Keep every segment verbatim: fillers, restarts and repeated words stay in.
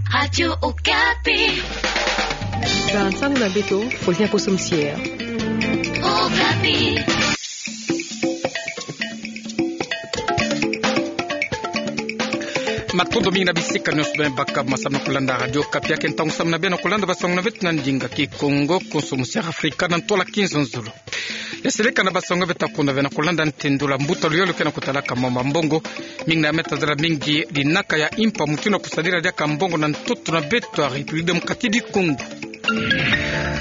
Radio Okapi. Ba nsangu na beto, Faustin Poso Mosier. Okapi. Matondo mingi na bisika nyonso beno baka masamu na kulanda Radio Okapi. Ya ke ntangu samu na beno kulanda bansangu na beto na ndinga Kikongo, konso Mosier Afrika na ntwala kinzonzolo. Ya seleka na bansangu beto ta kunda beno kulanda, ntendu la mbuta luyolo ke na kutalaka mambu ya mbongo. Mingi na meta zala mingi dinaka ya impa mutindu ya kusadila diaka mbongo na ntoto na beto ya République Démocratique du Congo.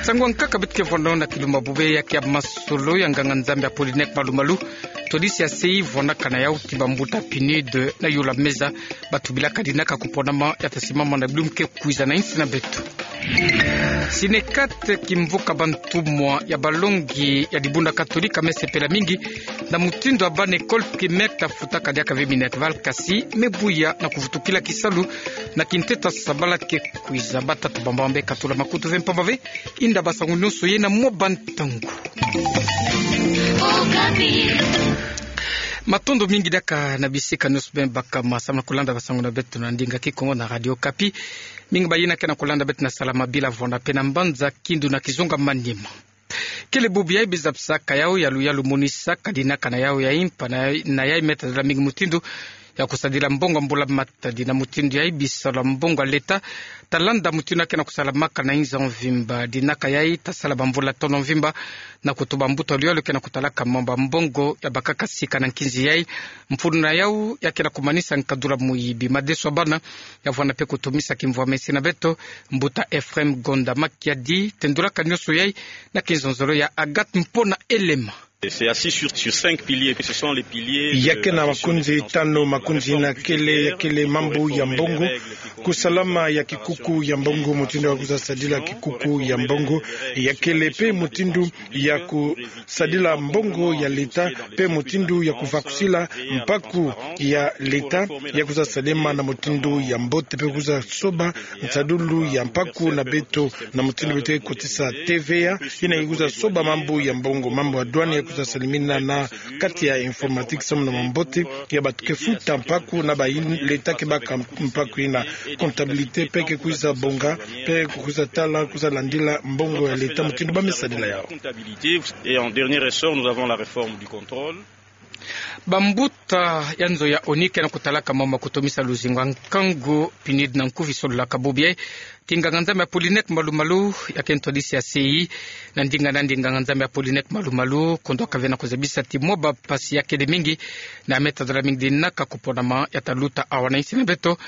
Nsangu ya nkaka beto ke vwanda na kilumbu bubu ya ke ya masolo ya nganga-Nzambi Apollinaire Malu-Malu, twadisi ya sei vwandaka na yau ti bambuta PNUD na yola meza ba tubilaka dinaka kuponama ya ta simama na bilumbu ke kwiza na insi na beto. Sinekat, kimvuka bantumwa ya balongi ya dibunda Katolika, me sepela mingi na mutindu ya bana école primaire ta futaka diaka ve minerval, kasi me buya na kuvutukila kisalu na kintete ya sabala ke kwiza. Batata bambamba be katula makutu ve mpamba ve, inda bansangu nyonso ye na mwa bantangu. Matondo mingi diaka na bisika nyonso beno baka masamu na kulanda bansangu na beto na ndinga Kikongo na Radio Okapi. Mingi bayina ke na kulanda beto na Salamabila, Vwanda pe na Mbanza, Kindu na Kizunga, Maniema. Kele bubu yayi bizabisaka yau ya luyalu monisaka dinaka na yau ya impa na, na yayi meta zala mingi mutindu ya kusadila mbongo ya mbula matadi. Na mutindu yayi bisalu ya mbongo ya leta ta landa mutindu ya ke na kusalamaka na inzo mvimba. Dinaka yayi ta sala bamvula tono mvimba na kutuba mbuta luyolo ke na kutalaka mambu ya mbongo ya bakaka sika na nkinzi yayi. Mfunu na yau ya ke na kumanisa nkadula muyibi. Madeso ya bana ya vwanda pe kutumisa kimvwama ya insi na beto. Mbuta Ephraim Gonda Makiadi tendulaka nyonso yayi na kinzonzolo ya Agathe Mpona Elema. C'est assis sur, sur cinq piliers, que ce sont les piliers de la gestion des finances publiques, les règles communautaires, les règles communautaires. Ya ke na makonzi tanu, makonzi yina kele, ya kele mambu ya mbongo, kusalama ya kikuku ya mbongo, mutindu ya kwiza sadila kikuku ya mbongo, ya kele pe mutindu ya kusadila mbongo ya leta, pe mutindu ya kuvakusila mpaku ya leta, ya kwiza salema na mutindu ya mbote, pe kwiza soba nsadulu ya mpaku na beto, na mutindu beto ke kotisa T V A, yina ya kwiza soba mambu ya mbongo, mambu ya douane ya kwiza salimina na kati ya informatique samu na mambote ya bato ke futa mpaku na bayi leta ke baka mpaku yina. Comptabilité pe ke kwiza bonga, pe kwiza tala, kwiza landila mbongo ya leta mutindu ba me sadila yau. Et en dernier ressort, nous avons la réforme du contrôle. Bambuta ya nzo ya ONU ke na kutalaka mambu ya kutomisa luzingu ya nkangu, PNUD na nkufi, sololaka bubu yayi ti nganga-Nzambi Apollinaire Malu-Malu, ya ke ntwadisi ya sei na ndinga na ndinga. Nganga-Nzambi Apollinaire Malu-Malu kondwaka ve na kuzabisa ti mwa bampasi ya kele mingi na meta zala mingi dinaka kuponama ya ta luta awa na insi na beto,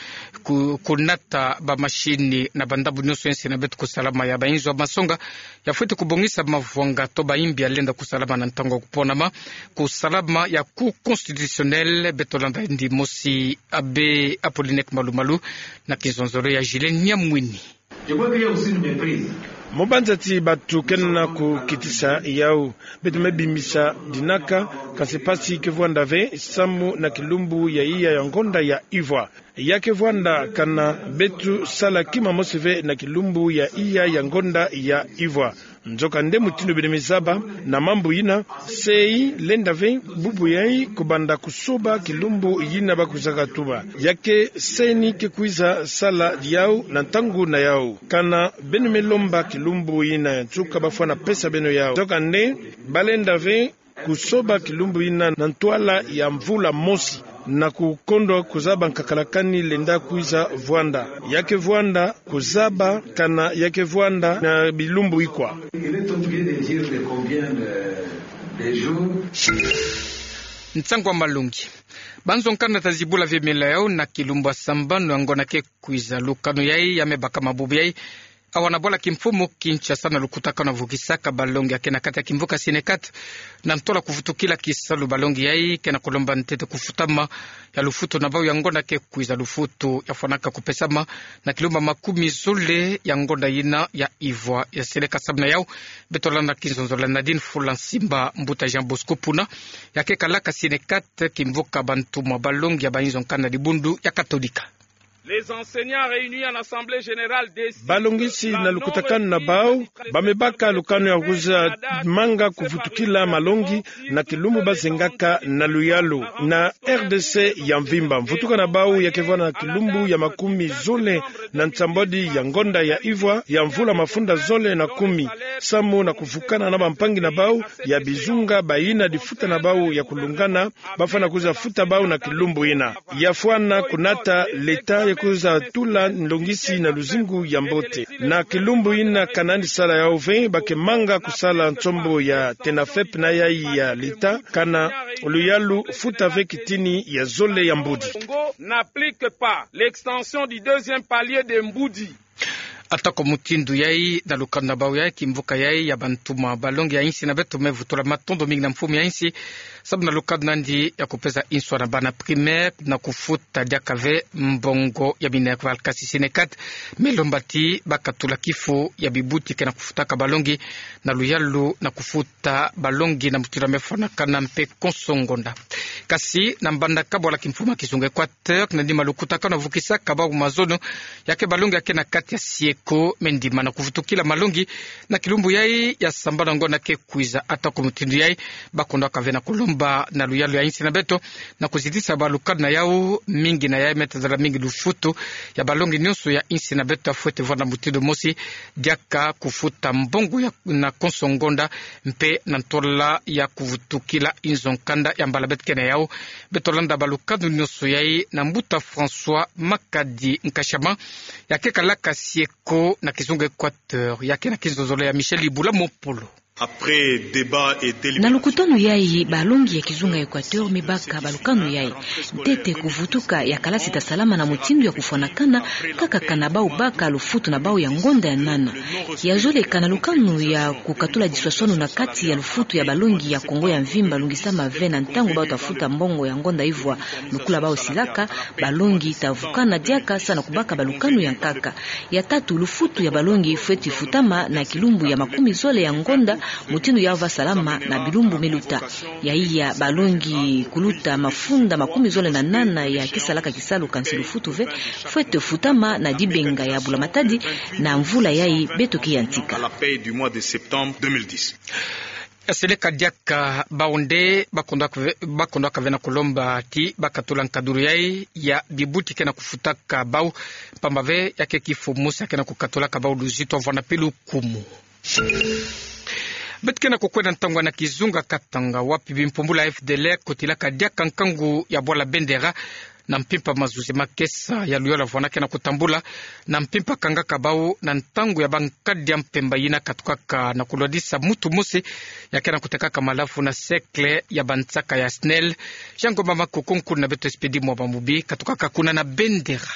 ku, kunata bamashini na bandambu nyonso ya insi na beto, kusalama ya bainzo ya masonga, ya fweti kubongisa mavwanga to bayimbi ya lenda kusalama na ntangu ya kuponama, kusalama ya Cour constitutionnelle. Beto landa ndi mosi Abbé Apollinaire Malu-Malu na kinzonzolo ya Gilles Niamwini. Je crois qu'il y a aussi une méprise. Mu banza ti bato ke na kukitisa yau, beto me bimbisa dinaka, kansi mpasi ke vwanda ve samu na kilumbu ya iya ya ngonda ya ivwa. Ya ke vwanda kana beto sala kima mosi ve na kilumbu ya iya ya ngonda ya ivwa. Nzokande mutindu beno me zaba na mambu yina, sei lenda ve bubu yayi kubanda kusoba kilumbu yina ba kwizaka tuba. Ya ke CENI ke kwiza sala yau na ntangu na yau. Kana beno me lomba kilumbu yina ya nsuka, ba fwana pesa beno yau. Nzokande ba lenda ve kusoba kilumbu yina na ntwala ya mvula mosi, na kukondwa kuzaba nkakalakani lenda kwiza vwanda. Ya ke vwanda kuzaba kana ya ke vwanda na bilumbu ikwa. Il est obligé de dire de combien de, de jours. Nsangu ya malongi. Banzo nkanda ta zibula ve mela yau na kilumbu ya sambanu ya ngonda ke kwiza. Lukanu yayi ya me bakama bubu yayi awa na bwala kimfumu Kinshasa na lukutakanu ya vukisaka balongi ya ke na kati ya kimvuka Synecat. Na ntwala kuvutukila kisalu, balongi yayi ke na kulomba ntete kufutama ya lufutu na bau ya ngonda ke kwiza, lufutu ya fwanaka kupesama na kilumbu ya makumi zole ya ngonda yina ya ivwa. Ya seleka samu na yau, beto landa kinzonzolo ya Nadine Fulansimba, mbuta Jean Bosco Puna, ya ke kalaka Synecat, kimvuka bantumwa balongi ya bainzo nkanda dibundu ya Katolika. Les enseignants réunis en assemblée générale décident. Balongisi na lukutakanu na bau, ba me baka lukanu ya kwiza manga kuvutukila malongi na kilumbu bazengaka na luyalu na R D C ya mvimba. Mvutuka na bau ya kevana na kilumbu ya makumi zole na nsambwadi ya ngonda ya ivwa ya mvula mafunda zole na kumi, samu na kuvukana na bampangi na bau ya bizunga bayina difuta na bau ya kulungana, bafwana kwiza futa bau na kilumbu yina. Ya fwana kunata l'État ya kwiza tula nlongisi na luzingu ya mbote. Na kilumbu yina ka nandi sala yau ve, ba ke manga kusala nsombo ya TENAFEP na yayi ya l'État, kana luyalu futa ve kitini ya zole ya mbudi. Congo n'applique pas l'extension du deuxième palier de mbudi. Atako mutindu yayi, na lukanu na bau yayi, kimvuka yayi ya bantuma balongi ya insi na beto me vutula matondo mingi na mfumu ya insi, sabu na lukanu nandi ya kupesa inswa na bana primaire na kufuta diaka ve mbongo ya minerval. Kasi SYNECAD me lomba ti ba katula kifu ya bibuti ke na kufutaka balongi na luyalu na kufuta balongi na mutindu ya me fwanakana mpe konso ngonda. Kasi na mbandaka bwala kimfumu ya kizunga Équateur, na nima lukutakanu ya vukisaka bau mazono, ya ke balongi ya ke na kati ya sieko, me ndima na kuvutukila malongi na kilumbu yayi ya sambana ngonda ke kwiza. Atako mutindu yayi, ba kondwaka ve na kulomba na luyalu ya insi na beto na kuzitisa ba lukanu na yau, mingi na yayi me tazala mingi lufutu ya balongi nyonso ya insi na beto ya fwete vwanda mutindu mosi, diaka kufuta mbongo ya, na konso ngonda, mpe na ntola ya kuvutukila inzo nkanda ya mbala beto ke na yau. Beto landa ba lukanu nyonso yayi na mbuta François Makadi Nkashama, ya ke kalaka sieko na kizunga Équateur, ya ke na kinzonzolo ya Michel Ibula Mopolo. Après débat et délibération. Na lukutanu yayi, balongi ya kizunga Équateur me baka ba lukanu yayi. Ntete kuvutuka ya kalasi ta salama na mutindu ya kufwanakana, kaka kana bau baka lufutu na bau ya ngonda ya nana. Ya zoleka na lukanu ya kukatula diswaswanu na kati ya lufutu ya balongi ya Kongo ya mvimba lungisama ve na ntangu bau ta futa mbongo ya ngonda ivwa lukula bau silaka, balongi ta vukana diaka sa na kubaka ba lukanu ya nkaka. Ya tatu, lufutu ya balongi fweti futama na kilumbu ya makumi zole ya ngonda, mutindu ya va salama na bilumbu me luta. Ya iya, balongi kuluta mafunda makumi zole na nana ya ke salaka kisalu kansi lufutu ve, fwete futama na dibenga ya bula matadi na mvula yayi beto ke yantika. À la paie du mois de septembre deux mille dix. Seleka diaka bau nde ba kondwaka ve, ba kondwaka ve na kulomba ti ba katula nkadulu yayi ya bibuti ke na kufutaka bau, mpamba ve ya ke kifu mosi ya ke na kukatulaka bau luzitu, vwanda mpe lukumu. Beto ke na kukwenda ntangu na kizunga Katanga, wapi bimpumbulu ya F D L R kotilaka diaka nkangu ya bwala Bendera, na mpimpa mazuzi makesa ya luyalu ya vwanda ke na kutambula, na mpimpa kangaka bau na ntangu ya bankadi ya mpemba yina katukaka na kulwadisa mutu mosi ya ke na kutekaka malavu na cercle ya bansaka ya SNEL. Jean Ngomba Makuku, nkulu na beto Expédit Mwamba Mubi, katukaka kuna na Bendera.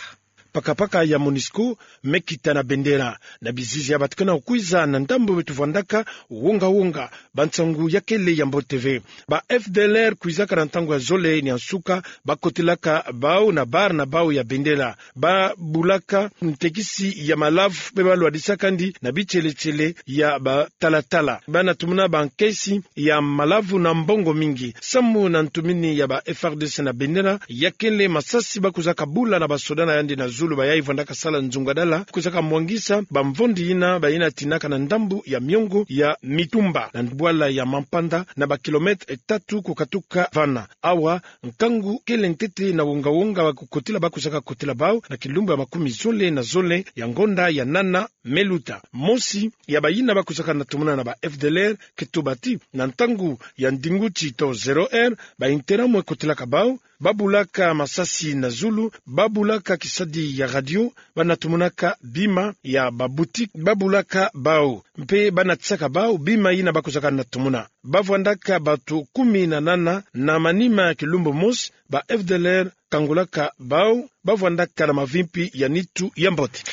Pakapaka ya MONUSCO me kita na Bendera, na bizizi ya bato ke na kukwiza na ndambu beto vwandaka wonga-wonga, bansangu ya kele ya mbote ve. Ba F D L R kwizaka na ntangu ya zole ni ya nsuka, ba kotilaka bau na bar na bau ya Bendera. Ba bulaka ntekisi ya malavu, mpe ba lwadisaka ndi na bitiele-tiele ya batalatala. Ba na tumuna bankesi ya malavu na mbongo mingi. Samu na ntumini ya ba F A R D C na Bendera, ya kele masasi ba kwizaka bula na basoda na yandi na zulu, bayayi vwandaka sala nzungadala, kwizaka mwangisa bamvondi yina bayina tinaka na ndambu ya miongo ya Mitumba, na bwala ya Mampanda, na ba kilomètre tatu kukatuka vana. Awa, nkangu kele ntete na wonga-wonga ba kukotila, ba kwizaka kotila bau na kilumbu ya makumi zole na zole ya ngonda ya nana me luta. Mosi ya bayina ba kwizaka na tumuna na ba F D L R ke tuba ti, na ntangu ya ndinguti to zéro heure, ba Interahamwe kotilaka bau, ba bulaka masasi na zulu, ba bulaka kisadi ya radio, ba na tumunaka bima ya ba boutique, ba bulaka bau, mpe ba natisaka bau bima yina ba kwizaka na tumuna. Ba vwandaka bato kumi na nana, na manima ya kilumbu mosi, ba F D L R kangulaka bau, ba vwandaka na mavimpi ya nitu ya mbote.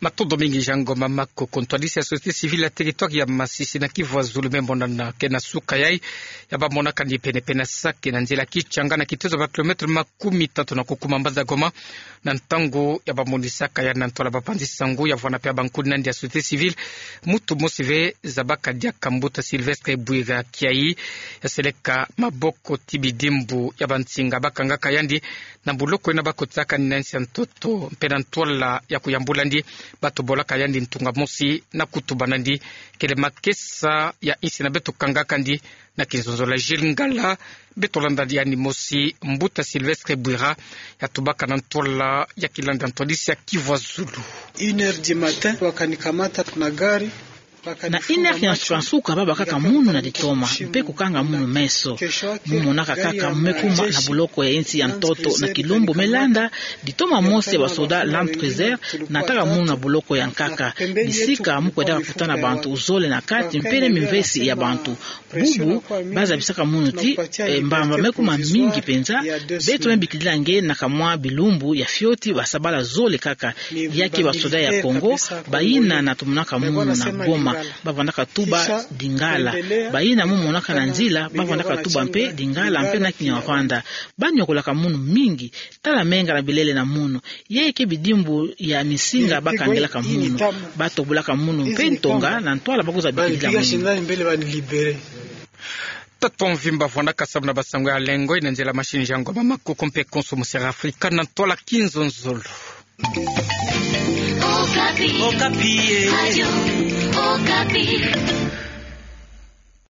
Matondo mingi Jean Ngoma Makoko. Ntwadisi ya société civile ya territoire ya Masisi na Kivu ya Zulu me monana ke na suka yai, ya ba monaka ni pene-pene saki na nzila Kitchanga na kitezo ba kilomètre makumi tatu na kukuma mbanza Goma, na ntangu ya ba monisaka yandi na ntwala ba panzi-nsangu ya vwanda mpe ya bankuni nandi ya société civile, mutu mosi ve zabaka diaka mbuta Sylvestre Bwira kiai, ya seleka maboko ti bidimbu ya bansinga bakangaka yandi na buloko ina bakotisaka yandi na nsi ya ntoto, mpe na ntwala ya kuyambula yandi, ba tobolaka yandi ntunga mosi na kutuba nandi. Kele makesa ya insi na beto kangaka yandi na kinzonzolo ya Gilles Ngala, beto landa yandi mosi. Mbuta Sylvestre Bwira ya tubaka na ntwala ya kilanda ntwadisi ya Kivu ya Zulu. Une heure du matin, wakanikamata na gari. Na une heure ya nsuka-nsuka, babakaka munu na ditoma, mpe kukanga munu meso. Mu monaka kaka mu me kuma na buloko ya insi ya ntoto na kilumbu, me landa ditoma mosi ya basoda Land Cruiser, nataka munu na buloko ya nkaka. Bisika mu kwendaka kutana bantu zole na kati, mpe na mimvesi ya bantu. Bubu, bazabisaka munu ti, eh, mbamba me kuma mingi mpenza, beto me bikilila nge na kamwa bilumbu ya fioti, basabala zole kaka. Ya ke basoda ya Congo, bayina natomonaka munu na Goma, bavandaka tuba Lingala. Bayina mu monaka na nzila, bavandaka tuba mpe Lingala mpe na Kinyarwanda. Banyokolaka munu mingi, tala menga na bilele na munu. Ya ke bidimbu ya misinga bakangilaka munu. Batobolaka munu mpe ntonga na ntwala bakozabikila munu. Tata mvimba vwandaka samu na basango ya lengo ina nzila machine Jean Ngoma Makoko mpe konso mu Sera Afrika na ntwala kinzonzolo. Okapi. Okapi, eh. Radio Okapi.